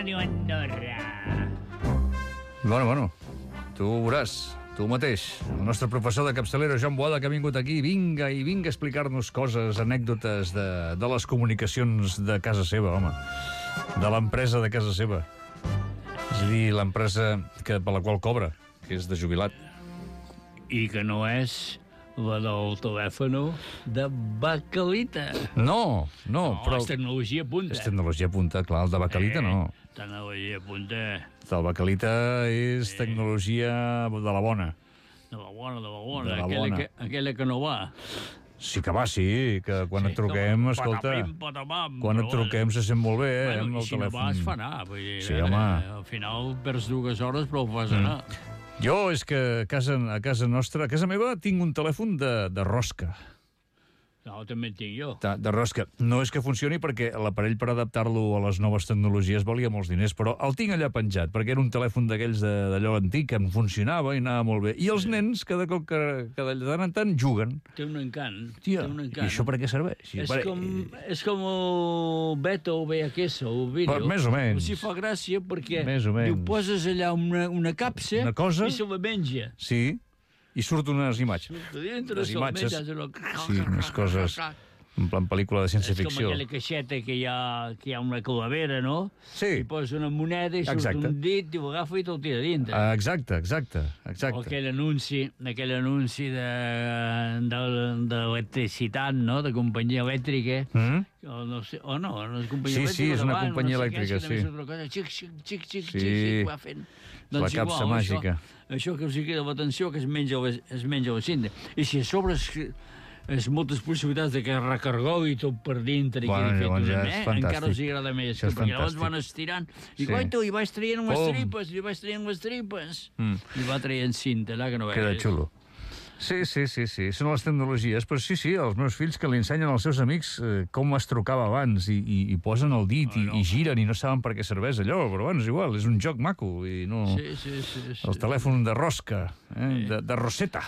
Ràdio Andorra. Bueno, tu ho veuràs, tu mateix. El nostre professor de capçalera, Joan Boada, que ha vingut aquí, vinga a explicar-nos coses, anècdotes de les comunicacions de casa seva, home. De l'empresa de casa seva. És a dir, l'empresa per la qual cobra, que és de jubilat. I que no és la del telèfon de Bacalita. No, però... és tecnologia punta. És tecnologia punta, clar, el de Bacalita no. Tecnologia punta. El Bacalita és tecnologia de la bona. De la bona. De la bona. Aquella que no va. Sí que va, sí, que quan et truquem, escolta, quan et truquem se sent molt bé, Bueno, amb el si no telèfon. vas, fa anar. Vull dir, Sí, home. Al final perds 2 hores, però ho fas anar. Jo és que a casa nostra, a casa meva, tinc un telèfon de rosca. No, també en tinc jo. De rosca. No és que funcioni perquè l'aparell per adaptar-lo a les noves tecnologies valia molts diners, però el tinc allà penjat, perquè era un telèfon d'aquells d'allò antic, que em funcionava i anava molt bé. I els nens, cada cop que de tant en tant, juguen. Té un encant. Tia, té un i encant. això per què serveix? És com el Beto o VHS, el vídeo. Més o menys. Si fa gràcia perquè Més o menys. diu, poses allà una capsa Una cosa. i se la menja. Sí, i surten unes imatges. Dintre Les se imatges. la menja. Sí, unes coses en plan pel·lícula de És com ciència-ficció. aquella caixeta que hi ha una calavera, no? Sí. I posa una moneda i surt Exacte. un dit i ho agafa i te'l tira dintre. Exacte. O aquell anunci d'electricitat, no?, de companyia elèctrica. No és companyia elèctrica. Sí, és una companyia no sé elèctrica, què, sí. Xic, xic, Sí. xic, va fent. La capsa màgica. Això que us crida l'atenció, que es menja la cinta. I si a sobre és moltes possibilitats de que es recargogui tot per dintre i Bueno, quedi llavors fet ja és fantàstic. encara els agrada més, Això és perquè llavors fantàstic. van estirant i Sí. guaita, li vaig traient les Pum. tripes, i va traient cinta, allà que no Queda veies. xulo. Sí, són les tecnologies, però sí, els meus fills que li ensenyen als seus amics com es trucava abans i posen el dit i giren i no saben per què serveix allò, però bueno, és igual, és un joc maco i no... Sí. El telèfon de rosca, de roseta.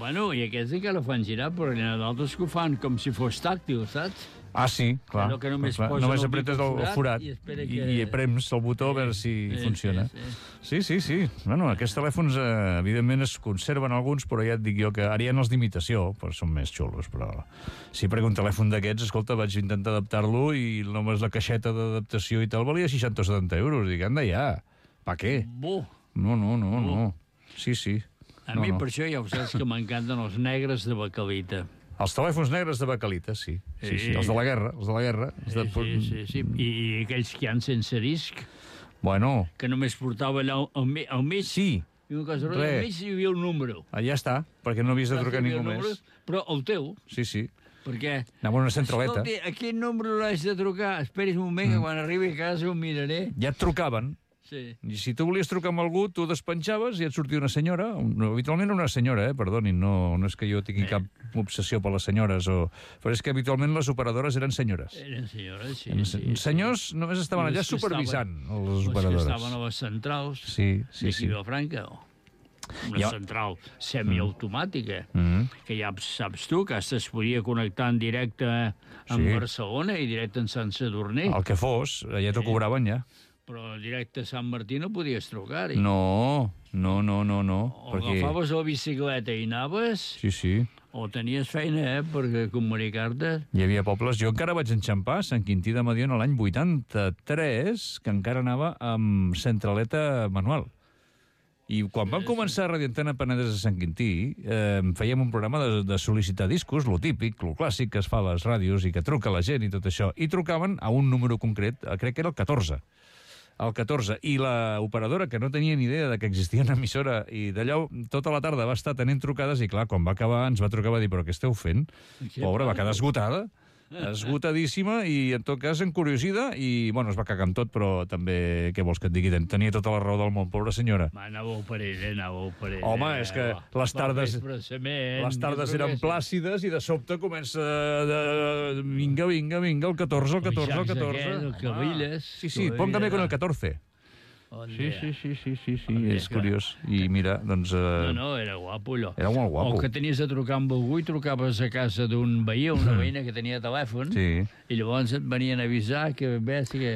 Bueno, i aquests encara fan girar, però n'hi ha d'altres que ho fan com si fos tàctil, saps? Ah, sí, clar. Allò que només clar. posen Només el apretes dit al el forat i espera i prems el botó a veure si funciona. Sí. Bueno, aquests telèfons, evidentment, es conserven alguns, però ja et dic jo que ara hi ha els d'imitació, però són més xulos, però... Sí, perquè un telèfon d'aquests, escolta, vaig intentar adaptar-lo i només la caixeta d'adaptació i tal valia 60 o 70 euros. Dic, anda ja, pa què? Bo. No. Sí. A mi, per això, ja ho saps que m'encanten els negres de Bacalita. Els telèfons negres de Bacalita, sí. Els de la guerra. Sí. I aquells que hi ha sense disc, Bueno, que només portava allà al mig, sí. i una cosa roda, al mig hi havia un número. Ja està, perquè no havies de trucar ningú més. Però el teu, Sí. perquè... Anava a una centraleta. Escolti, a quin número l'haig de trucar? Esperis un moment, que quan arribi a casa ho miraré. Ja et trucaven. Sí. I si tu volies trucar amb algú, tu despenjaves i et sortia una senyora, habitualment una senyora, perdonin, no és que jo tingui cap obsessió per les senyores, però és que habitualment les operadores eren senyores. Eren senyores, sí. Senyors només estaven allà supervisant les operadores. Les que estaven a les centrals Sí. d'aquí Vilafranca. Una central semiautomàtica, que ja saps tu, que es podia connectar en directe amb Barcelona i directe en Sant Sadurní. El que fos, ja t'ho cobraven ja. Però directe a Sant Martí no podies trucar-hi. No. O agafaves la bicicleta i anaves, Sí. o tenies feina, per comunicar-te. Hi havia pobles... Jo encara vaig enxampar Sant Quintí de Mediona l'any 83, que encara anava amb centraleta manual. I quan vam començar a Radio Antena Penedès a Sant Quintí, fèiem un programa de sol·licitar discos, lo típic, lo clàssic que es fa a les ràdios i que truca la gent i tot això. I trucaven a un número concret, crec que era el 14. El 14, i la operadora, que no tenia ni idea de que existia una emissora, i d'allò tota la tarda va estar tenint trucades, i clar, quan va acabar ens va trucar, va dir, però què esteu fent? Pobra, va quedar esgotada, esgotadíssima, i en tot cas encuriosida, i bueno, es va cagar amb tot, però també, què vols que et digui, tenia tota la raó del món, pobra senyora. Anàveu per ella. Home, és que les tardes eren plàcides i de sobte comença vinga, el 14. El Cabilles. Sí, póngame con el 14. Sí, és curiós. I mira, doncs... No, era guapo, allò. Era molt guapo. O que tenies de trucar amb algú i trucaves a casa d'un veí o una veïna que tenia telèfon, i llavors et venien a avisar que que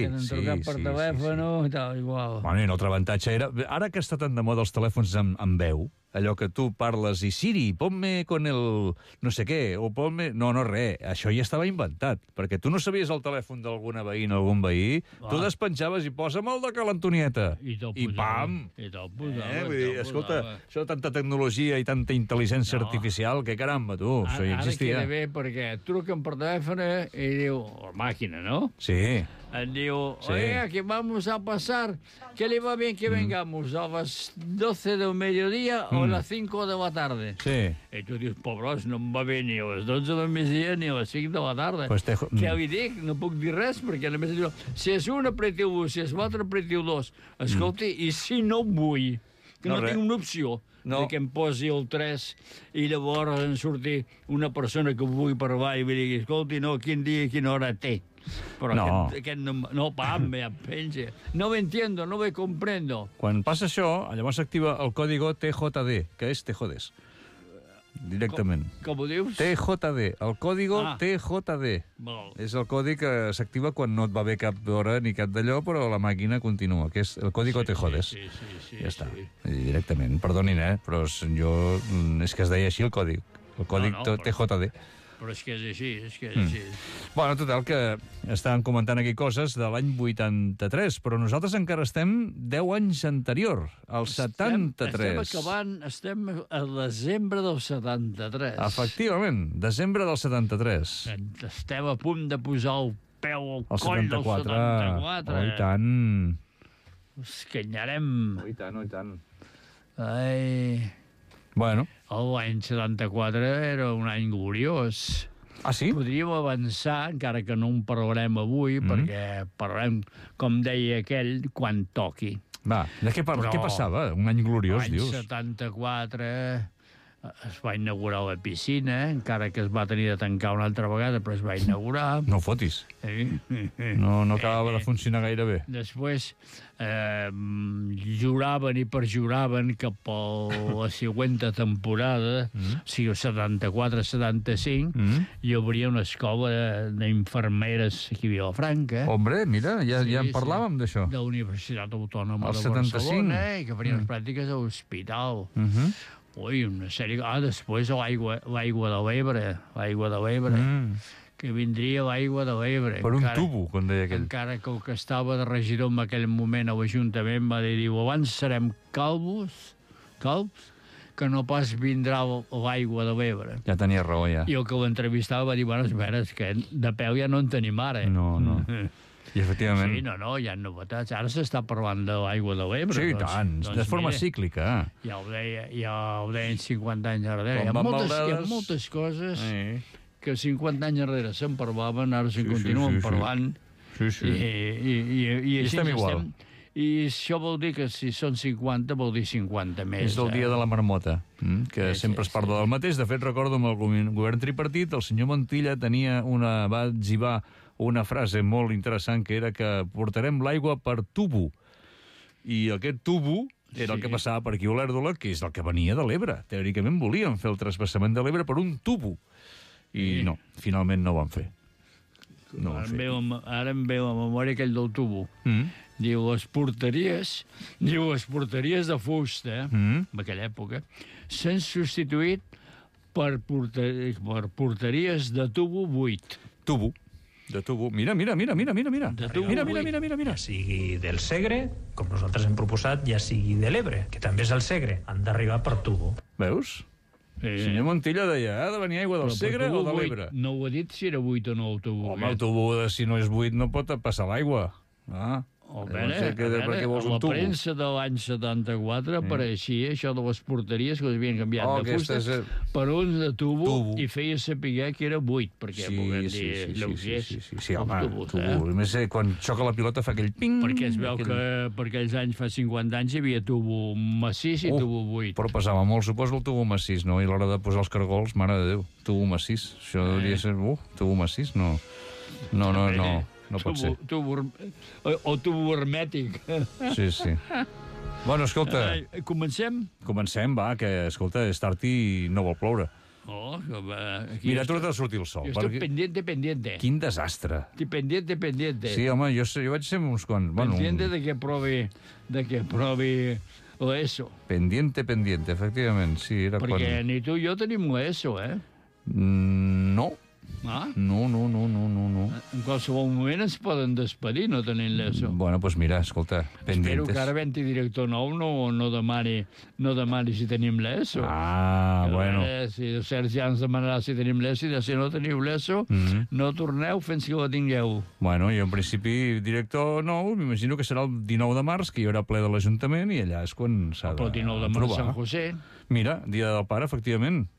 han trucat per telèfon i tal, igual. Bueno, i un altre avantatge era... Ara que està tan de moda els telèfons amb veu, allò que tu parles i Siri, ponme con el no sé què, o ponme... No, res, això ja estava inventat, perquè tu no sabies el telèfon d'alguna veïna o algun veí, tu despenjaves i posa'm el de Cal Antonieta. I pam! I te'l posava. Vull dir, escolta, això de tanta tecnologia i tanta intel·ligència artificial, que caramba, tu, això ja existia. Ara queda bé perquè truquen per telèfon i diu... La màquina, no? Sí. Et diu, oiga, que vamos a pasar, que le va bien que vengamos a las 12 del mediodía o a las 5 de la tarde. Sí. I tu dius, pobres, no em va bé ni a les 12 del migdia ni a les 5 de la tarda. Pues Què li dic? No puc dir res, perquè només diu, si és un, apretiu l'1, si és l'altre, apretiu l'2. Escolti, i si no vull, que no tinc una opció, que em posi el 3 i llavors en surti una persona que vulgui parlar i li digui, escolti, no, quin dia i quina hora té. Però aquest no, pam, ja penja. No ho entiendo, no ho comprendo. Quan passa això, llavors s'activa el código TJD, que és te jodes. Directament. Com ho dius? TJD, el código TJD. És el codi que s'activa quan no et va bé cap hora ni cap d'allò, però la màquina continua, que és el código te jodes. Sí. Ja està, directament. Perdonin, però jo... És que es deia així el còdig. El còdig TJD. Però és que és així, Bueno, total, que estàvem comentant aquí coses de l'any 83, però nosaltres encara estem 10 anys anterior, al 73. Estem a desembre del 73. Efectivament, desembre del 73. Estem a punt de posar el peu al coll del 74. Oh, i tant. Us canyarem. Oh, i tant. Ai... Bueno. L'any 74 era un any gloriós. Ah, sí? Podríem avançar, encara que no en parlarem avui, perquè parlarem, com deia aquell, quan toqui. Va, què passava? Un any gloriós, dius? L'any 74 es va inaugurar la piscina, encara que es va tenir de tancar una altra vegada, però es va inaugurar. No fotis. No acabava de funcionar gaire bé. Després juraven i perjuraven que per la següent temporada, o sigui, el 74-75, hi hauria una escola d'infermeres aquí a Vilafranca. Hombre, mira, ja en parlàvem d'això. De la Universitat Autònoma de Barcelona, i que farien les pràctiques a l'hospital. Ui, una sèrie... després l'aigua de l'Ebre, que vindria l'aigua de l'Ebre. Per un tubo, com deia aquell. Encara que el que estava de regidor en aquell moment a l'Ajuntament va dir, abans serem calbs, que no pas vindrà l'aigua de l'Ebre. Ja tenia raó, ja. I el que l'entrevistava va dir, bueno, espera, és que de peu ja no en tenim ara. No. I efectivament... Sí, hi ha novetats. Ara s'està parlant de l'aigua de l'Ebre. Sí, tant, de forma cíclica. Ja ho deien 50 anys darrere. Hi ha moltes coses que 50 anys darrere se'n parlaven, ara se'n continuen parlant. Sí. I estem igual. I això vol dir que si són 50, vol dir 50 més. És el dia de la marmota, que sempre es parla del mateix. De fet, recordo amb el govern tripartit, el senyor Montilla va etzibar una frase molt interessant, que era que portarem l'aigua per tubo. I aquest tubo era el que passava per aquí a Olèrdola, que és el que venia de l'Ebre. Teòricament volien fer el trasbassament de l'Ebre per un tubo. I no, finalment no ho van fer. Ara em veu a memòria aquell del tubo. Diu, les porteries de fusta, en aquella època, s'han substituït per porteries de tubo buit. De tubo. Mira. De tubo mira. Ja sigui del Segre, com nosaltres hem proposat, ja sigui de l'Ebre, que també és el Segre. Han d'arribar per tubo. Veus? El senyor Montilla deia, ha de venir aigua del Segre o de l'Ebre? No ho ha dit si era buit o no el tubo. Home, el tubo, si no és buit, no pot passar l'aigua. A la premsa de l'any 74 apareixia això de les porteries que havien canviat de fusta per uns de tubo i feia saber que era buit, perquè poden dir lleugers. Sí, home, tubo. A més, quan xoca la pilota fa aquell ping... Perquè es veu que per aquells anys, fa 50 anys, hi havia tubo massís i tubo buit. Però pesava molt, suposo, el tubo massís, no? I a l'hora de posar els cargols, mare de Déu, tubo massís. Això hauria de ser... tubo massís, no. No pot ser. O tubo hermètic. Sí, sí. Bueno, escolta... Comencem? Comencem, va, que, escolta, és tard i no vol ploure. Oh, aquí Mira, ha tornat a sortir el sol. Jo estic pendiente. Quin desastre. Estic pendiente. Sí, home, jo vaig ser uns quants... Bueno, Pendiente de que provi l'ESO. Pendiente, efectivament, sí, era quan... Perquè ni tu i jo tenim l'ESO, eh? No. Ah? No. En qualsevol moment ens poden despedir no tenint l'ESO. Bueno, doncs mira, escolta, pendientes. Espero que ara venti director nou no demani si tenim l'ESO. Ah, bueno. Si el Sergi ja ens demanarà si tenim l'ESO i si no teniu l'ESO, no torneu fins que la tingueu. Bueno, jo en principi director nou, m'imagino que serà el 19 de març, que hi haurà ple de l'Ajuntament i allà és quan s'ha El 19 de març, Sant José. Mira, dia del pare, efectivament.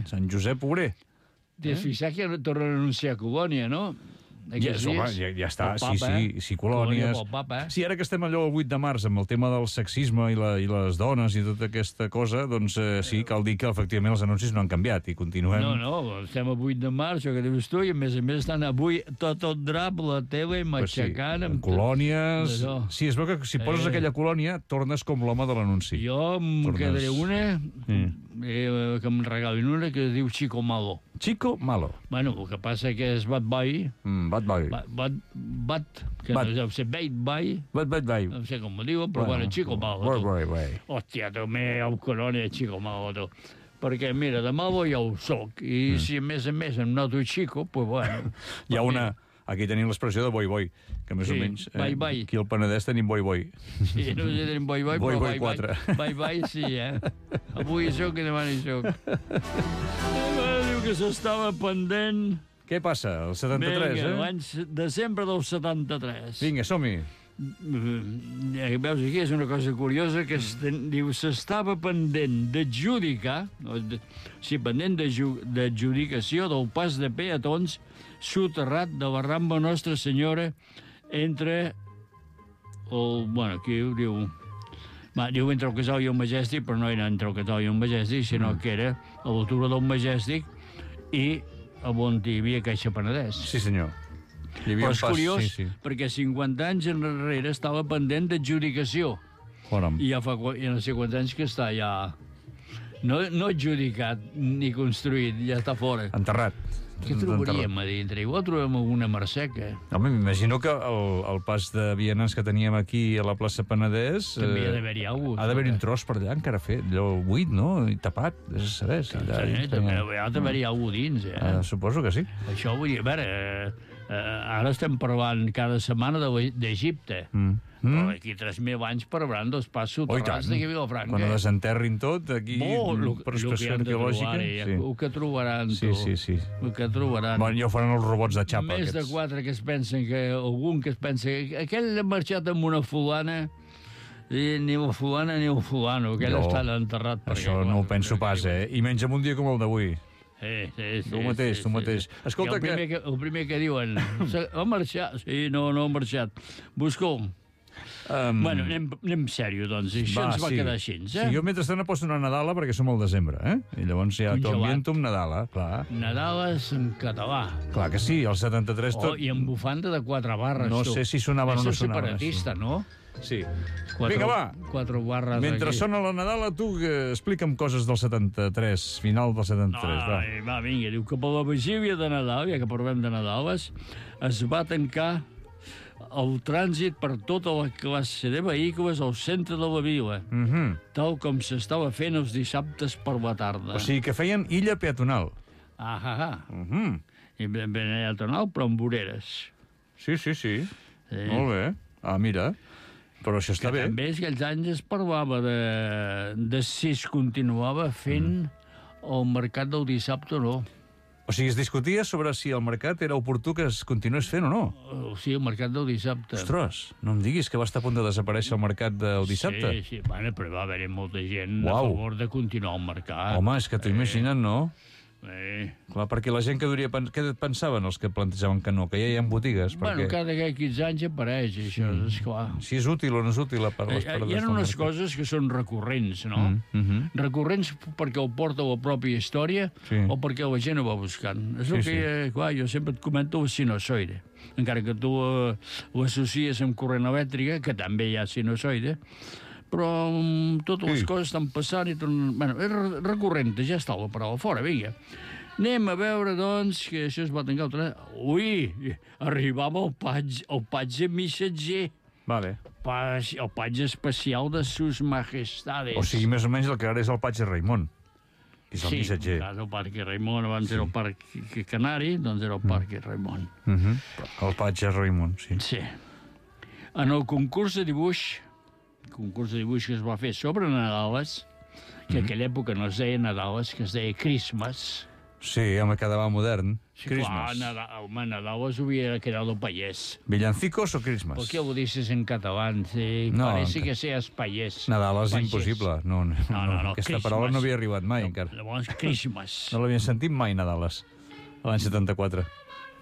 Sant Josep Obrer. T'has fixat que tornen a anunciar Colònia, no? Ja està, sí, colònies. Sí, ara que estem allò el 8 de març amb el tema del sexisme i les dones i tota aquesta cosa, doncs sí, cal dir que efectivament els anuncis no han canviat i continuem... No, estem el 8 de març, això que dius tu, i a més estan avui tot el drap, la tele, matxacant... Amb colònies... Sí, es veu que si poses aquella colònia tornes com l'home de l'anunci. Jo em quedaré una, que em regalin una, que es diu Chico Malo. Chico Malo. Bueno, el que passa que és Bad Boy. Bad Boy. Que no deu ser Bad Boy. Bad Boy. No sé com ho diu, però bueno, Chico Malo. Hòstia, també el colònia Chico Malo, tu. Perquè, mira, de malo ja ho soc. I si a més em noto Chico, pues bueno. Hi ha una... Aquí tenim l'expressió de boi, que més o menys... Aquí al Penedès tenim boi. Sí, no sé si tenim boi, però boi 4. Boi, sí, Avui hi soc i demà hi soc. Diu que s'estava pendent... Què passa? El 73, l'any desembre del 73. Vinga, som-hi. Veus, aquí és una cosa curiosa, que diu, s'estava pendent d'adjudicar, pendent d'adjudicació del pas de peatons soterrat de la Rambla Nostra Senyora entre aquí ho diu... Diu entre el Casal i el Majestic, però no era entre el Casal i el Majestic, sinó que era a l'altura del Majestic i on hi havia Caixa Penedès. Sí, senyor. Però és curiós, perquè 50 anys enrere estava pendent d'adjudicació. I ja fa no sé quants anys que està ja... No adjudicat ni construït, ja està fora. Enterrat. Què trobaríem a dintre? Igual trobem alguna marseca. Home, m'imagino que el pas de vianants que teníem aquí a la plaça Penedès... També ha d'haver-hi alguna cosa. Ha d'haver-hi un tros per allà encara fet, allò buit, no? I tapat, és a saber. També ha d'haver-hi alguna dins, Suposo que sí. Això vull dir, a veure, ara estem parlant cada setmana d'Egipte. Però d'aquí 3.000 anys parauran dels pas soterrats d'aquí a Vilafranca. Quan ho desenterrin tot, aquí, per expressió arqueològica. El que trobaran, tu. Sí. El que trobaran. Bueno, ja ho faran els robots de xapa. Més de 4 que es pensen que... Algun que es pensa que aquell ha marxat amb una fulana i ni la fulana ni el fulano. Aquell està enterrat. Això no ho penso pas, I menys en un dia com el d'avui. Sí. Tu mateix. Escolta, el primer que diuen, ha marxat? Sí, no ha marxat. Busca-ho. Bueno, anem sèrio, doncs. Això ens va quedar així, Sí, jo mentrestant aposto una Nadala perquè som al desembre, I llavors ja t'ho ambiento amb Nadala, clar. Nadales en català. Clar que sí, el 73 tot... I amb bufanda de 4 barres, no sé si sonaven o no sonaven. És separatista, no? Sí. Vinga, va. 4 barres mentre sona la Nadala, tu explica'm coses del 73, final del 73. Va, vinga, diu que per la vigília de Nadal, ja que parlem de Nadales, es va tancar el trànsit per tota la classe de vehicles al centre de la vila, tal com s'estava fent els dissabtes per la tarda. O sigui que feien illa peatonal. I ben peatonal, però amb voreres. Sí. Molt bé. Mira, però això està bé. També aquells anys es parlava de si es continuava fent el mercat del dissabte o no. O sigui, es discutia sobre si el mercat era oportú que es continués fent o no. Sí, el mercat del dissabte. Ostres, no em diguis que va estar a punt de desaparèixer el mercat del dissabte. Sí, bueno, però va haver-hi molta gent a favor de continuar el mercat. Home, és que t'ho imagina't, no? Clar, perquè la gent que què pensaven els que plantejaven que no? Que ja hi ha botigues? Bueno, cada 15 anys apareix, això, esclar. Si és útil o no és útil per les parades Hi ha unes coses que són recurrents, no? Recurrents perquè ho porta la pròpia història o perquè la gent ho va buscant. És el que, clar, jo sempre et comento el sinusoide. Encara que tu l'associes amb corrent elèctrica, que també hi ha sinusoide, però totes les coses estan passant i... Bueno, és recurrent, ja està la paraula fora, vinga. Anem a veure, doncs, que això es va tancar el tren. Ui, arribava el patge missatger. Vale. El patge especial de sus majestades. O sigui, més o menys el que ara és el patge Raimon, que és el missatger. Sí, el Parque Raimon, abans era el Parque Canari, doncs era el Parque Raimon. El patge Raimon, sí. Sí. En el concurs de dibuix que es va fer sobre Nadales, que en aquella època no es deia Nadales, que es deia Christmas. Sí, home, quedava modern. Sí, Christmas. Clar, Nadales hubiera quedado payés. ¿Villancicos o Christmas? ¿Por qué lo dices en catalán? Sí, no, parece que seas payés. Nadales és impossible. No, aquesta paraula no havia arribat mai, encara. Llavors, Christmas. No l'havien sentit mai, Nadales, l'any 74.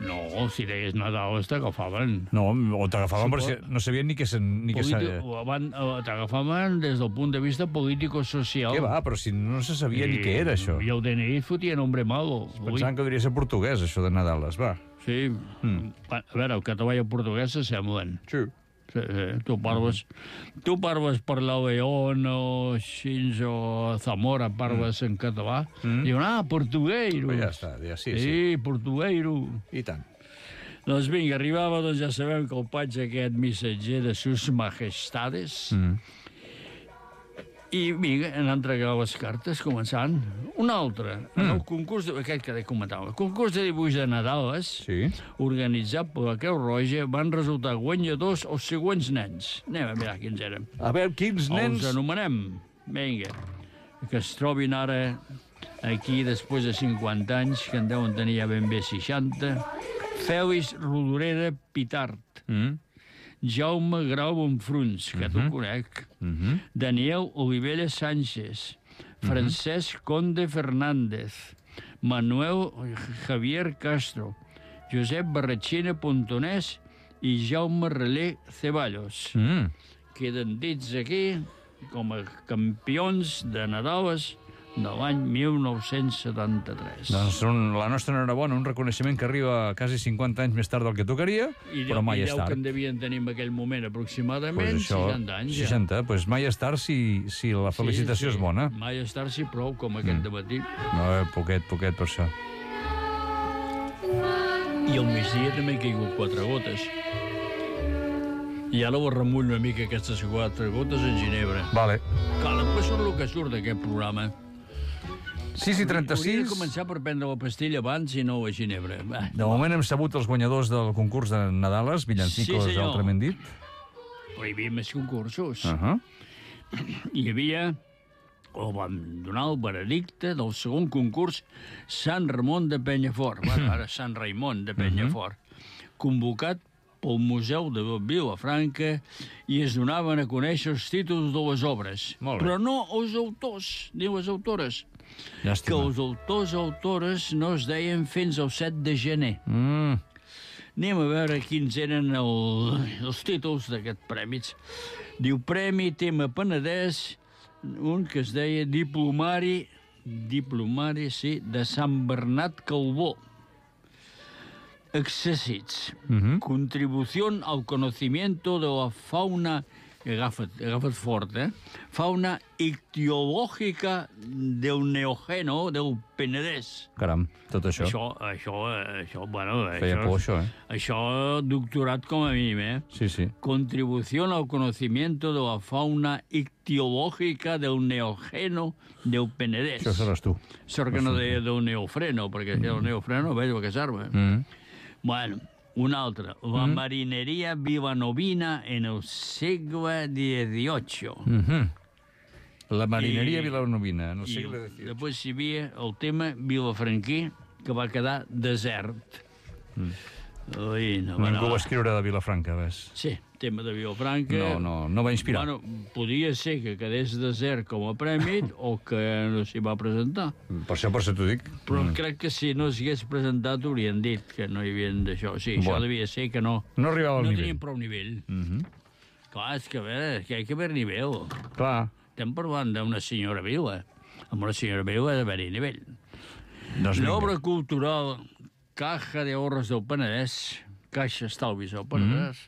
No, si deies Nadales t'agafaven. No, o t'agafaven perquè no sabien ni què sabia. T'agafaven des del punt de vista político-social. Què va, però si no se sabia ni què era, això. I el DNI fotia nombre malo. Pensaven que hauria de ser portuguès, això de Nadales, va. Sí. A veure, el català i el portuguès s'assemblen. Sí. Tu parles per la León o Xins o Zamora, parles en català. Diuen, portugueiro. Ja està, sí. Sí, portugueiro. I tant. Doncs vinga, arribava, doncs ja sabem que el patge aquest missatger de sus majestades. I vinga, han entregat les cartes, començant. Un altre, el concurs, aquest que comentava, el concurs de dibuix de Nadales, organitzat per la Creu Roja, van resultar guanyadors els següents nens. Anem a mirar quins eren. A veure, quins nens? Els anomenem, vinga, que es trobin ara aquí després de 50 anys, que en deuen tenir ja ben bé 60. Fèlix Rodoreda Pitart. Jaume Grau Bonfruns, que t'ho conec, Daniel Olivella Sánchez, Francesc Conde Fernández, Manuel Javier Castro, Josep Barratxina Pontonès i Jaume Relé Ceballos. Queden dits aquí com a campions de Nadales de l'any 1973. Doncs la nostra enhorabona, un reconeixement que arriba quasi 50 anys més tard del que tocaria, però mai és tard. I que en devien tenir en aquell moment aproximadament 60 anys. 60, doncs mai és tard si la felicitació és bona. Mai és tard si prou, com aquest dematí. No, poquet per això. I al migdia també han caigut 4 gotes. I ara ho remull una mica aquestes 4 gotes en Ginebra. Vale. Clar, després surt el que surt d'aquest programa. 6:36. Hauria de començar per prendre la pastilla abans i no a Ginebra. De moment hem sabut els guanyadors del concurs de Nadales, Villancicos, altrament dit. Però hi havia més concursos. Hi havia, o vam donar el veredicte del segon concurs, Sant Ramon de Penyafort, ara Sant Raimon de Penyafort, convocat pel Museu de Vilafranca i es donaven a conèixer els títols de les obres. Però no els autors ni les autores. Que els autors no es deien fins al 7 de gener. Anem a veure quins eren els títols d'aquests prèmits. Diu Premi Tema Penedès, un que es deia Diplomari, de Sant Bernat Calbó. Accessits. Contribución al conocimiento de la fauna, agafa't fort, fauna ictiològica del Neògeno del Penedès. Caram, tot això. Això, bueno... Feia por, això, Això, doctorat com a mínim, Sí. Contribución al conocimiento de la fauna ictiològica del Neògeno del Penedès. Això seràs tu. Sort que no deia del neofreno, perquè el neofreno veig que s'arma. Bueno, un altre. La marineria vilanovina en el segle XVIII. La marineria vilanovina en el segle XVIII. Després hi havia el tema vilafranquí, que va quedar desert. Ui, no, Ningú va escriure de Vilafranca, ves? Sí, tema de Vilafranca... No va inspirar. Bueno, podia ser que quedés desert com a prèmit o que no s'hi va presentar. Per això t'ho dic. Però crec que si no s'hagués presentat haurien dit que no hi havien d'això. Sí, això devia ser que no... No arribava al nivell. No tenien prou nivell. Clar, és que a veure, que hi ha que haver nivell. Clar. Estem parlant d'una senyora viva. Amb una senyora viva ha d'haver-hi nivell. L'obra cultural Caja de Ahorros del Penedès, Caixa Estalvis del Penedès,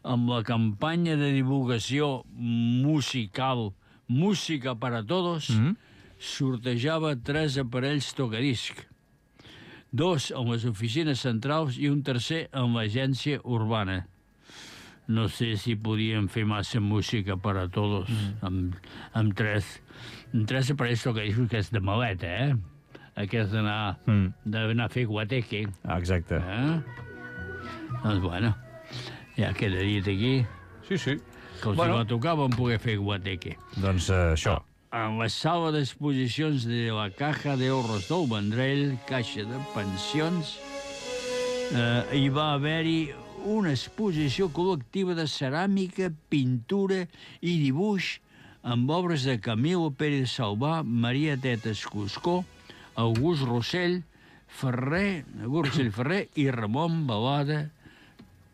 amb la campanya de divulgació musical Música para Todos, sortejava 3 aparells tocadisc, 2 en les oficines centrals i un tercer en l'agència urbana. No sé si podien fer massa música per a tots amb 3 aparells tocadiscos, que és de maleta, aquest d'anar a fer guateque. Exacte. Doncs, bueno, ja queda dit aquí. Sí. Que els no tocaven poder fer guateque. Doncs això. En la sala d'exposicions de la Caja de Ahorros del Vendrell, Caixa de Pensions, hi va haver-hi una exposició col·lectiva de ceràmica, pintura i dibuix amb obres de Camilo Pérez Salvà, Maria Tetes Cuscó, August Rossell Ferrer i Ramon Balada.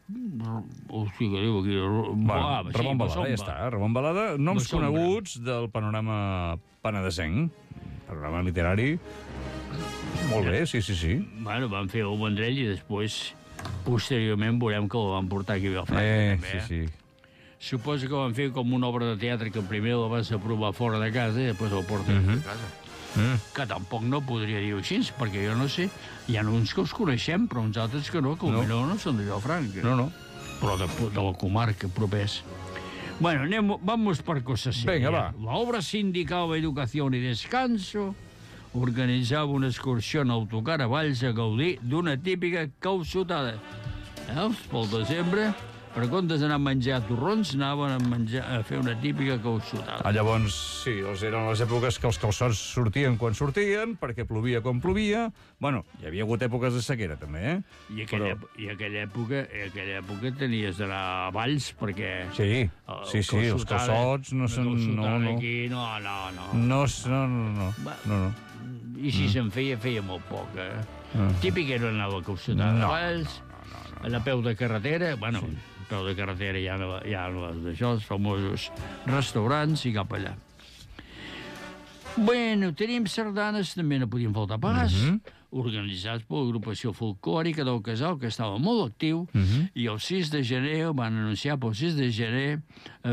Hòstia, que diu aquí... Ramon Balada, ja està. Ramon Balada, noms coneguts del panorama penedesenc. Panorama literari. Molt bé, sí. Bueno, van fer el Vendrell i després, posteriorment, veurem que el van portar aquí a Vilafranca. Sí. Suposo que van fer com una obra de teatre que primer la vas aprovar fora de casa i després el porten a casa. Que tampoc no podria dir-ho així, perquè jo no sé, hi ha uns que els coneixem, però uns altres que no, que potser no són de Vilafranca. No. Però de la comarca propers. Bueno, vamos per cosas serias. Venga, va. La obra sindical Educación y Descanso organitzava una excursió en autocar a Valls a gaudir d'una típica calçotada. Pel desembre, per comptes d'anar a menjar torrons, anaven a fer una típica calçotada. Llavors, sí, eren les èpoques que els calçots sortien quan sortien, perquè plovia quan plovia. Bueno, hi havia hagut èpoques de sequera, també, I aquella època tenies d'anar a Valls, perquè... Sí, els calçots no són... Aquí, no. I si se'n feia molt poc, Típic era anar a la calçotada a Valls, a la peu de carretera, bueno... peu de carretera hi ha d'això, els famosos restaurants i cap allà. Bueno, tenim sardanes, també no podien faltar pas, organitzats per l'agrupació folclòrica del Casal, que estava molt actiu, i el 6 de gener van anunciar pel 6 de gener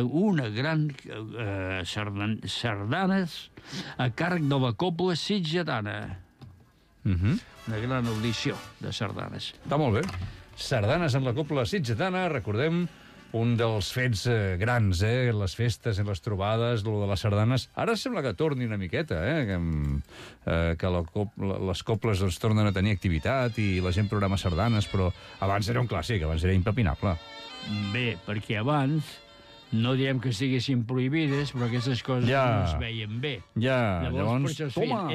una gran sardanes a càrrec de la Cobla Sitgetana. Una gran audició de sardanes. Està molt bé. Sardanes en la Cobla Sitgetana, recordem, un dels fets grans, les festes i les trobades, lo de les sardanes. Ara sembla que torni una miqueta, que les cobles doncs, tornen a tenir activitat i la gent programa sardanes, però abans era un clàssic, abans era impepinable. Bé, perquè abans no diem que estiguessin prohibides, però aquestes coses no es veien bé. Llavors, toma!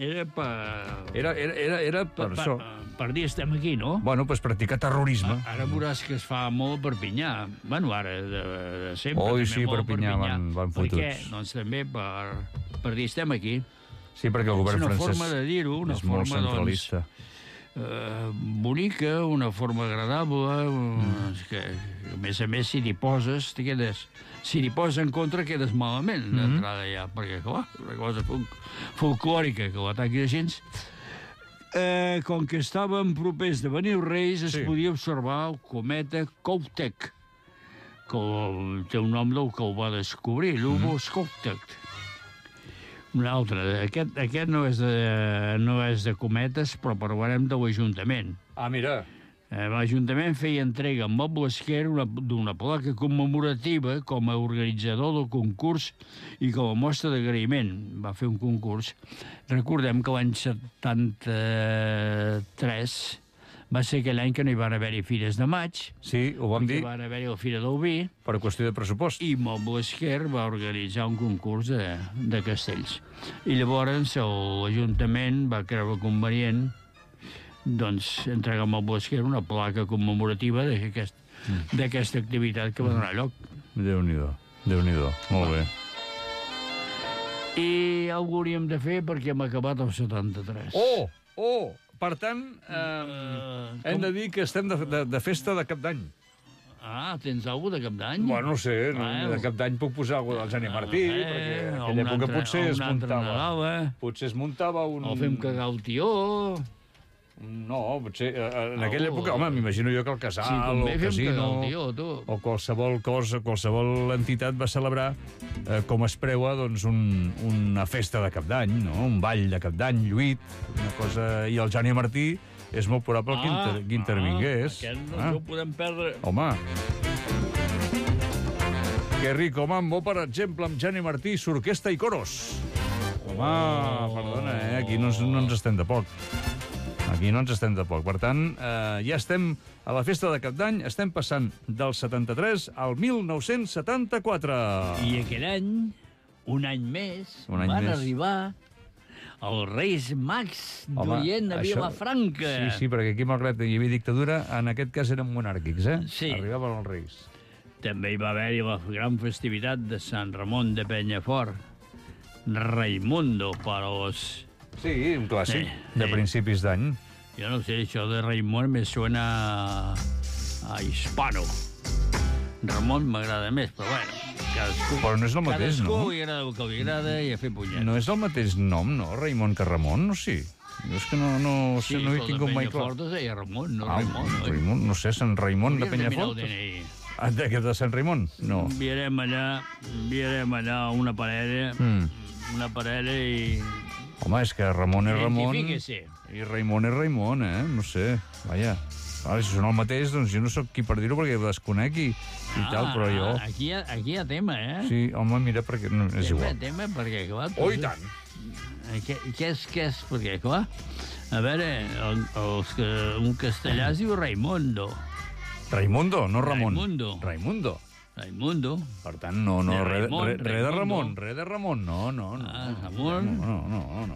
Era per això. Per dir estem aquí, no? Bueno, pues practicar terrorisme. Ara veuràs que es fa molt a Perpinyà. Bueno, ara, de sempre. Oi, sí, Perpinyà van fotuts. Per què? Doncs també per dir estem aquí. Sí, perquè el govern francès és una forma de dir-ho, una forma, molt centralista. Bonica, una forma agradable, que a més, si t'hi poses, si t'hi poses en contra, quedes malament d'entrada ja, perquè, clar, una cosa folclòrica que l'ataquis així. Com que estàvem propers de venir els Reis, es podia observar el cometa Coptic, que té un nom del que el va descobrir, l'Hubos Coptic. Un altre. Aquest no és de cometes, però parlarem de l'Ajuntament. Mira. L'Ajuntament feia entrega amb Moble Esquer d'una placa commemorativa com a organitzador del concurs i com a mostra d'agraïment. Va fer un concurs. Recordem que l'any 73 va ser aquell any que no hi van haver-hi Fires de Maig. Sí, ho vam dir. Hi van haver-hi la Fira del Vi. Per qüestió de pressupost. I Moble Esquer va organitzar un concurs de castells. I llavors l'Ajuntament va creure convenient doncs entreguen al Bosquer una placa commemorativa d'aquesta activitat que va donar lloc. Déu-n'hi-do, Déu-n'hi-do. Molt bé. I algú hauríem de fer perquè hem acabat el 73. Oh! Per tant, hem de dir que estem de festa de Cap d'Any. Ah, tens alguna de Cap d'Any? Bueno, no sé, de Cap d'any puc posar alguna del Jani Martí, perquè en aquella època potser es muntava... Potser es muntava un... O fem cagar el tió... No, potser... En aquella època, home, m'imagino jo que el casal, o el casino, o qualsevol cosa, qualsevol entitat va celebrar, com es preua, doncs, una festa de Cap d'Any, no? Un ball de Cap d'Any, lluit, una cosa... I el Jani Martí és molt probable que intervingués. Aquest no ho podem perdre. Home... Que rico mambo, per exemple, amb Jani Martí, s'orquestra i coros. Home, perdona, aquí no ens estem de poc. Aquí no ens estem de poc. Per tant, ja estem a la festa de Cap d'Any, estem passant del 73 al 1974. I aquell any, un any més, van arribar els Reis Mags d'Orient a Vilafranca. Sí, perquè aquí, malgrat hi havia dictadura, en aquest cas eren monàrquics, Sí. Arribaven els Reis. També hi va haver-hi la gran festivitat de Sant Ramon de Penyafort. Raimundo per als... Sí, un clàssic de principis d'any. Jo no sé, això de Raimon me suena a hispano. Ramon m'agrada més, però bueno, cadascú... Però no és el mateix, no? Cadascú li agrada el que li agrada i a fer punyet. No és el mateix nom, no? Raimon que Ramon, no? Sí. Jo és que no he tingut mai clar. Sí, el de Penyafort es deia Ramon, no Raimon. Raimon, no sé, Sant Raimon de Penyafort? De Sant Raimon? No. Enviarem allà una parella i... Home, és que Ramon és Ramon... Identifíquese. I Raimon és Raimon, no sé. Vaja. Ara, si són el mateix, doncs jo no sóc qui per dir-ho, perquè ho desconec i tal, però jo... Aquí hi ha tema, Sí, home, mira, perquè no, és igual. Tema, perquè, clar... Oh, i tant! Què és? Perquè, clar, a veure, un castellà es diu Raimundo. Raimundo, no Ramon. Raimundo. Per tant, res de Ramon, no.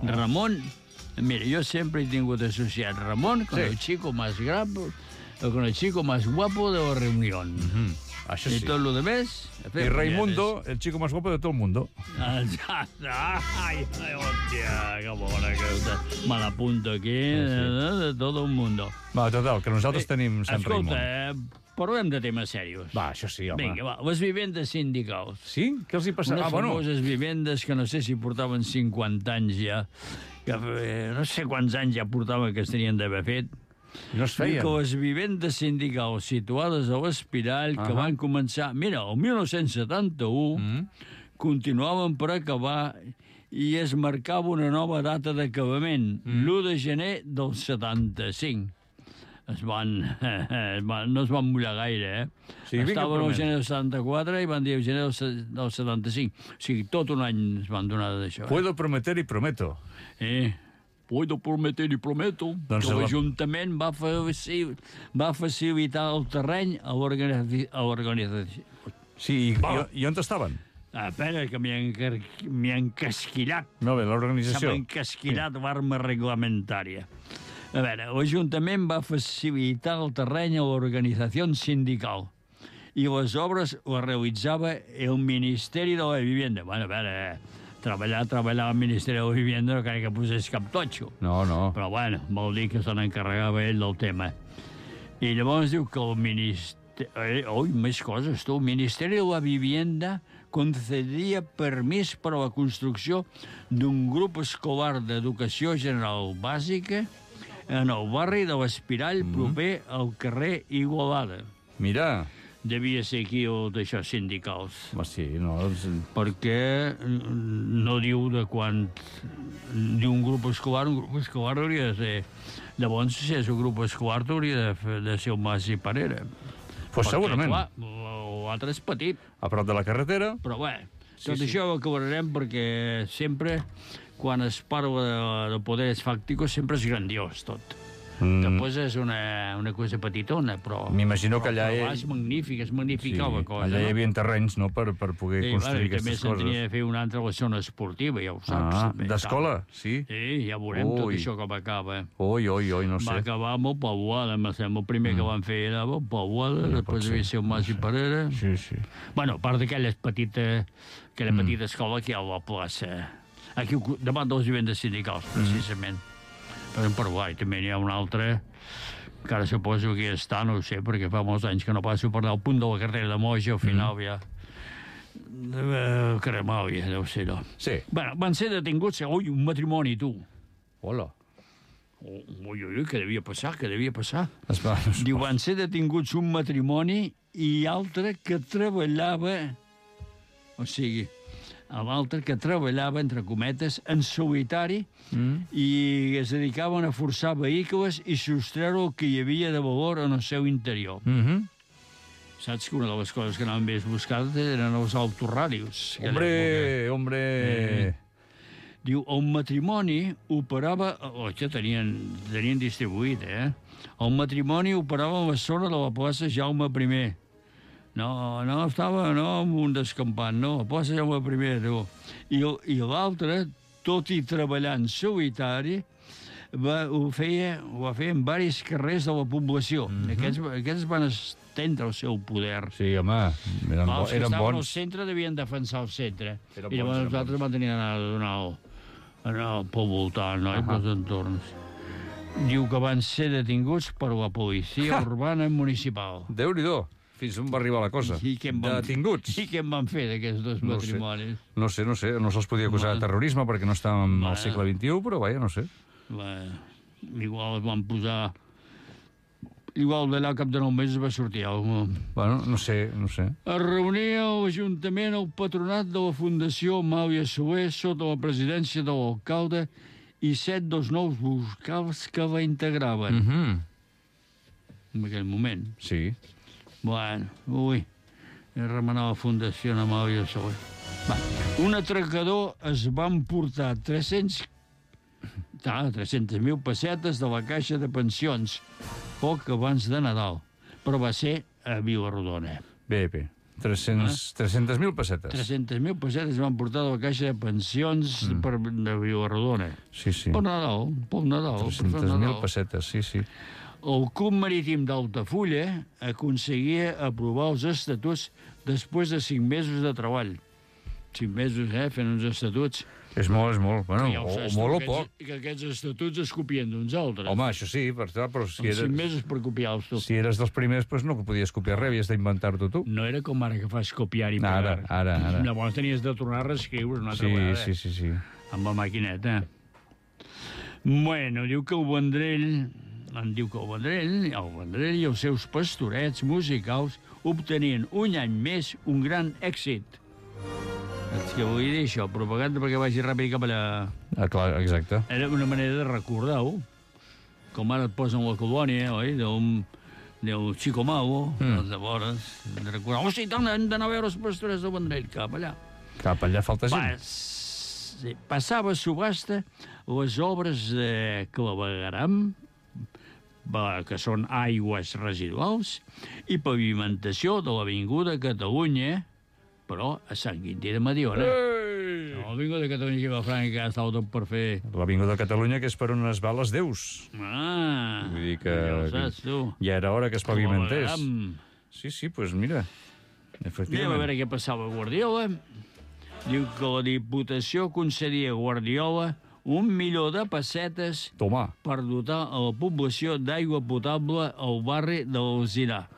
Ramon, mira, yo siempre he tenido que asociar Ramón con el chico más guapo, con el chico más guapo de la reunión. Això sí. Y todo lo demás... Y Raimundo, el chico más guapo de todo el mundo. Ay, hòstia, que bona que me l'apunto aquí, de todo el mundo. Va, total, que nosaltres tenim Sant Raimon. Escolta, parlem de temes serios. Va, això sí, home. Vinga, va, les vivendes sindicals. Sí? Què els hi passa? Unes famoses vivendes que no sé si portaven 50 anys ja, que no sé quants anys ja portaven que es tenien d'haver fet. No es feien. I que les vivendes sindicals situades a l'Espirall, que van començar... Mira, el 1971, continuaven per acabar i es marcava una nova data d'acabament, l'1 de gener del 75. No es van mullar gaire, Sí, estaven al gener del 74 i van dir el gener del 75. O sigui, tot un any es van donar d'això. Puedo prometer y prometo. Puedo prometer i prometo que l'Ajuntament va facilitar el terreny a l'organització. Sí, i on estaven? Espera, que m'hi ha encasquillat. Molt bé, l'organització. S'ha encasquillat l'arma reglamentària. A veure, l'Ajuntament va facilitar el terreny a l'organització sindical i les obres les realitzava el Ministeri de la Vivienda. Bueno, a veure, treballar al Ministeri de la Vivienda no crec que posés cap totxo. No. Però, bueno, vol dir que se n'encarregava ell del tema. I llavors diu que el Ministeri... més coses, tu. El Ministeri de la Vivienda concedia permís per a la construcció d'un grup escolar d'educació general bàsica en el barri de l'Espirall, proper al carrer Igualada. Mira. Devia ser aquí o d'això sindicals. Sí, no... Perquè no diu de quan... Diu un grup escolar hauria de ser... Llavors, si és un grup escolar, hauria de ser el Mas i Parera. Pues segurament. Clar, l'altre és petit. A prop de la carretera. Però bé, tot això ho acabarem perquè sempre, quan es parla de poderes fàcticos, sempre és grandiós tot. Després és una cosa petitona, però... M'imagino que allà... Però és magnífica la cosa. Allà hi havia terrenys, no?, per poder construir aquestes coses. També se'n tenia de fer una altra a la zona esportiva, ja ho saps. D'escola, sí? Sí, ja veurem tot això com acaba. Oi, no sé. Va acabar amb el Pauada, el primer que van fer era el Pauada, després devia ser el Mas i Parera. Sí. Bueno, a part d'aquella petita escola que hi ha a la plaça, aquí davant dels vivendes sindicals, precisament. Per Paraguai també n'hi ha una altra, que ara suposo que ja està, no ho sé, perquè fa molts anys que no passo per al punt de la carrera de Moja, al final ja... Cremàvia, deu ser, no? Sí. Bueno, van ser detinguts, un matrimoni, tu. Hola. Ui, què devia passar? Diu, van ser detinguts un matrimoni i altre que treballava... O sigui, l'altre que treballava, entre cometes, en solitari i es dedicaven a forçar vehicles i sostreure el que hi havia de valor en el seu interior. Saps que una de les coses que anaven més buscades eren els autoràdios. Hombre! Diu, el matrimoni operava... Això tenien distribuït, El matrimoni operava a la zona de la plaça Jaume I. No estava en un descampant, no, a plaça Jaume I, tu. I l'altre, tot i treballar en solitari, ho feia en diversos carrers de la població. Aquests van estendre el seu poder. Sí, home, eren bons. Els que estaven al centre devien defensar el centre. I llavors els altres van tenir d'anar a donar pel voltant, no? I pels entorns. Diu que van ser detinguts per la policia urbana municipal. Déu-n'hi-do. Fins on va arribar la cosa? Detinguts. I què en van fer d'aquests dos matrimonis? No sé. No se'ls podia acusar de terrorisme perquè no estàvem al segle XXI, però vaja, no sé. Igual es van posar... Igual d'allà al cap de 9 mesos va sortir alguna cosa. Bueno, no sé. Es reunia a l'Ajuntament el patronat de la Fundació Amàlia Soler sota la presidència de l'alcalde i 7 dels nous vocals que la integraven. En aquell moment. Sí. Bueno, remenar la Fundació Amàlia Soler. Un atracador es va emportar 300.000 pessetes de la caixa de pensions poc abans de Nadal, però va ser a Vilarrodona. Bé. 300.000 pessetes. 300.000 pessetes van portar de la caixa de pensions de Vilarrodona. Sí. Per Nadal. 300.000 pessetes, sí. El Club Marítim d'Altafulla aconseguia aprovar els estatuts després de 5 mesos de treball. 5 mesos, fent uns estatuts. És molt. Bueno, molt o poc. Que aquests estatuts es copien d'uns altres. Home, això sí, però si eres... 5 mesos per copiar-los tu. Si eres dels primers, doncs no podies copiar res, havies d'inventar-ho tu. No era com ara que fas copiar i pegar. Ara. Llavors tenies de tornar a reescriure una altra vegada. Sí. Amb la maquineta. Bueno, diu que el Vendrell i els seus pastorets musicals obtenien un any més un gran èxit. És que vull dir això, propaganda perquè vagi ràpid cap allà. Clar, exacte. Era una manera de recordar-ho, com ara et posen la colònia, oi?, del Chico Mau, de vores, de recordar, sí, tant, hem d'anar a veure els pastorets del Vendrell, cap allà. Cap allà falta gent. Passava a subhasta les obres de clavegueram, que són aigües residuals, i pavimentació de l'Avinguda Catalunya, però a Sant Quintí de Mediona. L'Avinguda Catalunya que va franca estava tot per fer. L'Avinguda Catalunya, que és per on es va les Deus. Vull dir que ja ho saps, tu. Ja era hora que es pavimentés. Sí, doncs mira, efectivament. Anem a veure què passava a Guardiola. Diu que la Diputació concedia a Guardiola 1 milió de pessetes per dotar a la població d'aigua potable al barri de l'Alzinar.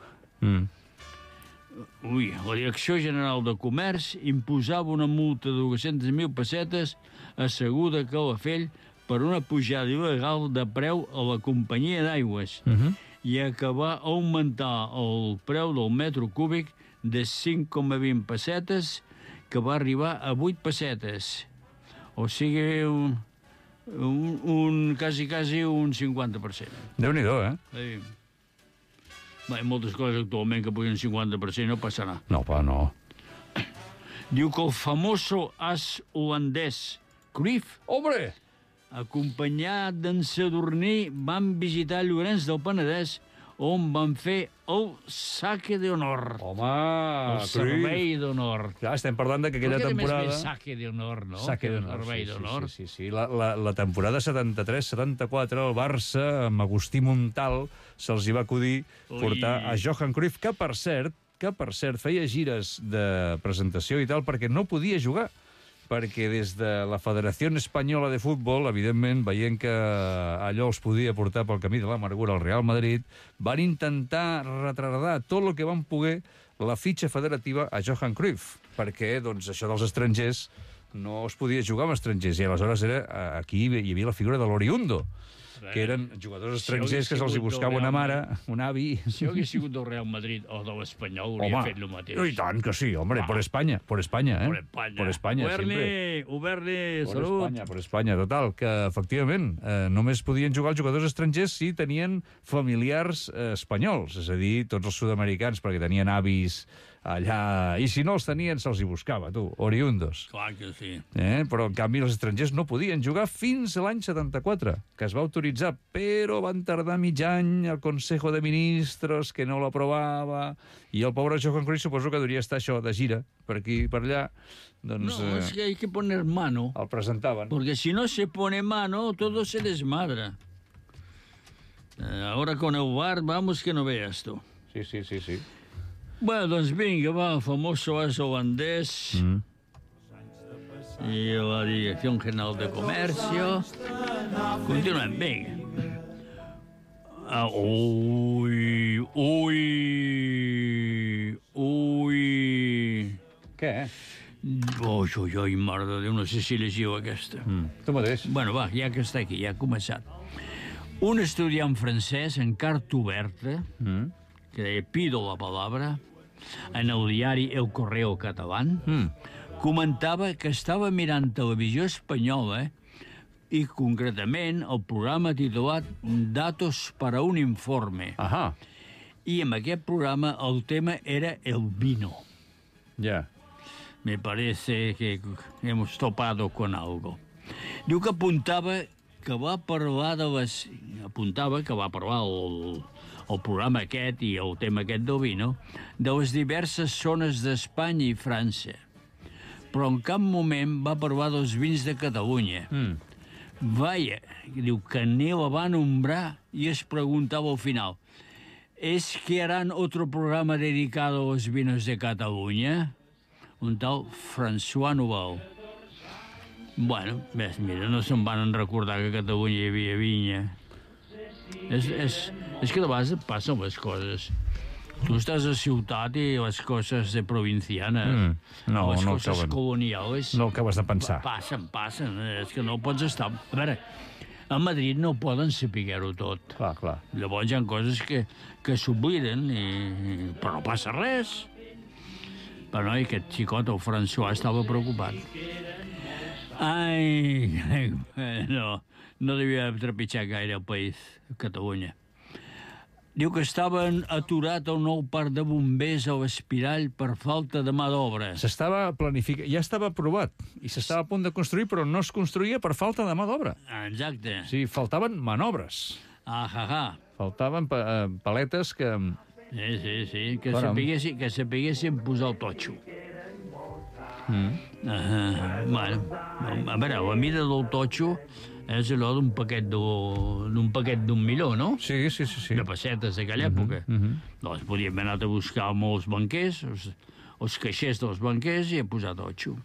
La Direcció General de Comerç imposava una multa de 200.000 pessetes asseguda a Calafell per una pujada il·legal de preu a la companyia d'aigües i acabar augmentar el preu del metro cúbic de 5,20 pessetes que va arribar a 8 pessetes. O sigui, quasi un 50%. Déu-n'hi-do, Sí. Hi ha moltes coses actualment que pugen 50%, no passarà. No, no. Diu que el famoso as holandès Cruyff acompanyat d'en Sadurní, van visitar Llorenç del Penedès, on van fer el saque d'honor. Home, el servei d'honor. Ja, estem parlant que aquella temporada... Perquè a més saque d'honor, no? Saque d'honor, servei d'honor. Sí. La temporada 73-74, el Barça, amb Agustí Montal, se'ls hi va acudir portar a Johan Cruyff, que per cert feia gires de presentació i tal, perquè no podia jugar. Perquè des de la Federació Espanyola de Futbol, evidentment, veient que allò els podia portar pel camí de l'amargura al Real Madrid, van intentar retardar tot el que van poder la fitxa federativa a Johan Cruyff, perquè doncs, això dels estrangers no es podia jugar amb estrangers, i aleshores aquí hi havia la figura de l'Oriundo, que eren jugadors estrangers que se'ls hi buscava una mare, un avi... Si hagués sigut del Real Madrid o de l'Espanyol, hauria fet el mateix. I tant que sí, hombre, por España, eh? Por España, siempre. Oberne, salut. Per Espanya, total, que efectivament només podien jugar els jugadors estrangers si tenien familiars espanyols, és a dir, tots els sud-americans, perquè tenien avis allà, i si no els tenien se'ls hi buscava, tu, oriundos. Clar que sí. Però en canvi els estrangers no podien jugar fins a l'any 74, que es va autoritzar, però van tardar mig any el Consejo de Ministros, que no l'aprovava, i el pobre Johan Cruyff suposo que devia estar això de gira, per aquí i per allà. Doncs, no, es que hay que poner mano. El presentaven. Porque si no se pone mano, todo se desmadra. Ahora con el VAR, vamos que no veas tu. Sí. Bueno, doncs vinga, va, el famoso as holandès i la Direcció General de Comercio. Continuem, vinga. Ui. Què? Ui, mare de Déu, no sé si llegiu aquesta. Tu mateix. Bueno, va, ja que està aquí, ja ha començat. Un estudiant francès en carta oberta, que deia pido la palabra, en el diari El Correo Catalán, comentava que estava mirant televisió espanyola i, concretament, el programa titulat Datos para un informe. Ahà. I en aquest programa el tema era el vino. Ja. Me parece que hemos topado con algo. Diu que apuntava que va parlar el programa aquest i el tema aquest del vino de les diverses zones d'Espanya i França. Però en cap moment va parlar dels vins de Catalunya. Vaya, diu que ni la va nombrar i es preguntava al final ¿es que harán otro programa dedicado a los vinos de Catalunya? Un tal François Nouvel. Bueno, ves, mira, no se'n van recordar que a Catalunya hi havia vinya. És que de vegades passen les coses. Tu estàs a ciutat i les coses de provincianes, les coses colonials... No acabes de pensar. Passen, és que no pots estar... A veure, a Madrid no poden saber-ho tot. Clar. Llavors hi ha coses que s'obliden, però no passa res. Però no, aquest xicot, el François, estava preocupat. Ai, no devia trepitjar gaire el país, Catalunya. Diu que estaven aturat el nou parc de bombers a l'Espirall per falta de mà d'obra. S'estava planificat, ja estava aprovat, i s'estava a punt de construir, però no es construïa per falta de mà d'obra. Exacte. O sigui, faltaven manobres. Faltaven paletes que... Sí, que sapiguessin posar el totxo. Bueno, a veure, la mida del totxo és allò d'un paquet d'un milió, no? Sí. De pessetes d'aquella època. Doncs podíem anar a buscar molts banquers, els caixers dels banquers, i a posar totxo.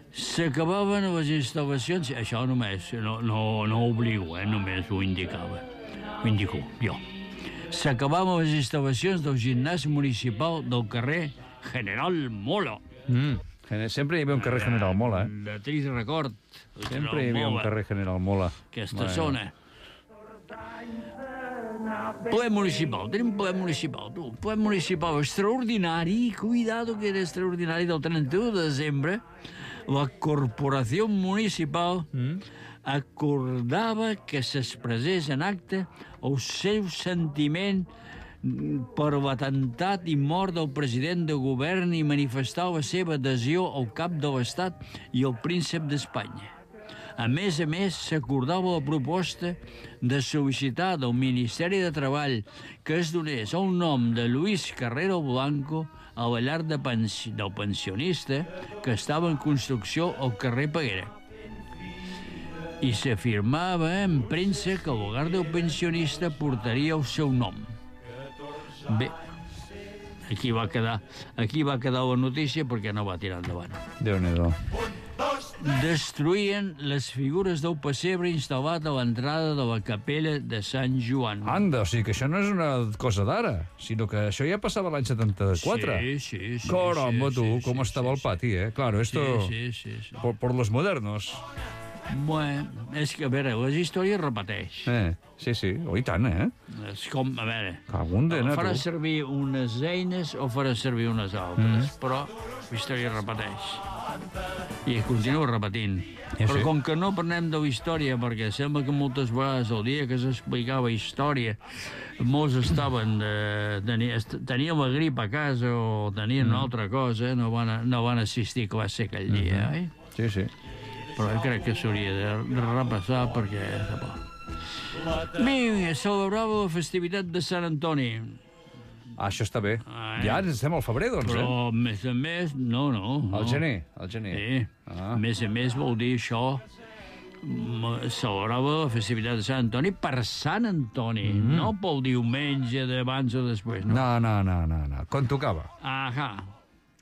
S'acabaven les instal·lacions, això només, no ho obligo, només ho indicava. Ho indico, jo. S'acabaven les instal·lacions del gimnàs municipal del carrer General Mola. Sempre hi havia un carrer General Mola, De trist record. Sempre hi havia un carrer General Mola. Aquesta zona. Ple municipal, tenim ple municipal, tu. Ple municipal extraordinari, cuidado que era extraordinari, del 31 de desembre, la corporació municipal acordava que s'expressés en acte el seu sentiment per l'atemptat i mort del president de govern i manifestar la seva adhesió al cap de l'Estat i al príncep d'Espanya. A més, s'acordava la proposta de sol·licitar del Ministeri de Treball que es donés el nom de Luis Carrero Blanco a la llar del pensionista que estava en construcció al carrer Peguera. I s'afirmava en premsa que el hogar del pensionista portaria el seu nom. Bé, aquí va quedar la notícia perquè no va tirar endavant. Déu-n'hi-do. Destruïen les figures del pessebre instal·lat a l'entrada de la capella de Sant Joan. Anda, o sigui que això no és una cosa d'ara, sinó que això ja passava l'any 74. Sí. Caramba, tu, com estava el pati, eh? Claro, esto... Sí. Por los modernos. Bueno, és que, a veure, les històries repeteix. Sí, i tant, eh? És com, a veure, Cagundena, farà tu. servir unes eines o farà servir unes altres, però la història repeteix. I continua repetint. Però com que no parlem de la història, perquè sembla que moltes vegades el dia que s'explicava història molts estaven tenien la grip a casa o tenien una altra cosa, no van assistir a classe aquell dia, oi? Sí. Però jo crec que s'hauria de repassar perquè... Vinga, celebrava la festivitat de Sant Antoni. Això està bé. Ja ens estem al febrer, doncs, Però, a més, no. Al gener. Sí. A més vol dir això, celebrava la festivitat de Sant Antoni per Sant Antoni, no pel diumenge d'abans o després, no? No. Quan tocava? Ahà.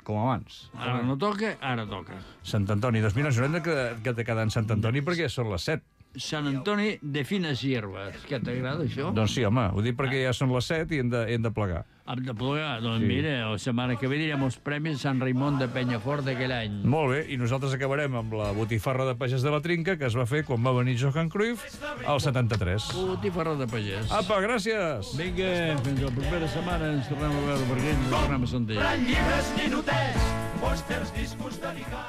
Com abans. Ara no toca, ara toca. Sant Antoni. Doncs mira, ens haurem de quedar en Sant Antoni perquè són les 7. Sant Antoni de fines hierbes. Què t'agrada, això? Doncs sí, home, ho dic perquè ja són les 7 i hem de plegar. Hem de plegar? Doncs mira, la setmana que ve direm els premis Sant Raimon de Penyafort d'aquell any. Molt bé, i nosaltres acabarem amb la botifarra de pagès de la Trinca que es va fer quan va venir Johan Cruyff al 73. Botifarra de pagès. Apa, gràcies! Vinga, fins la propera setmana ens tornem a veure per aquí, ens tornem a sentir. Llibres, ninotets, pòsters, discos de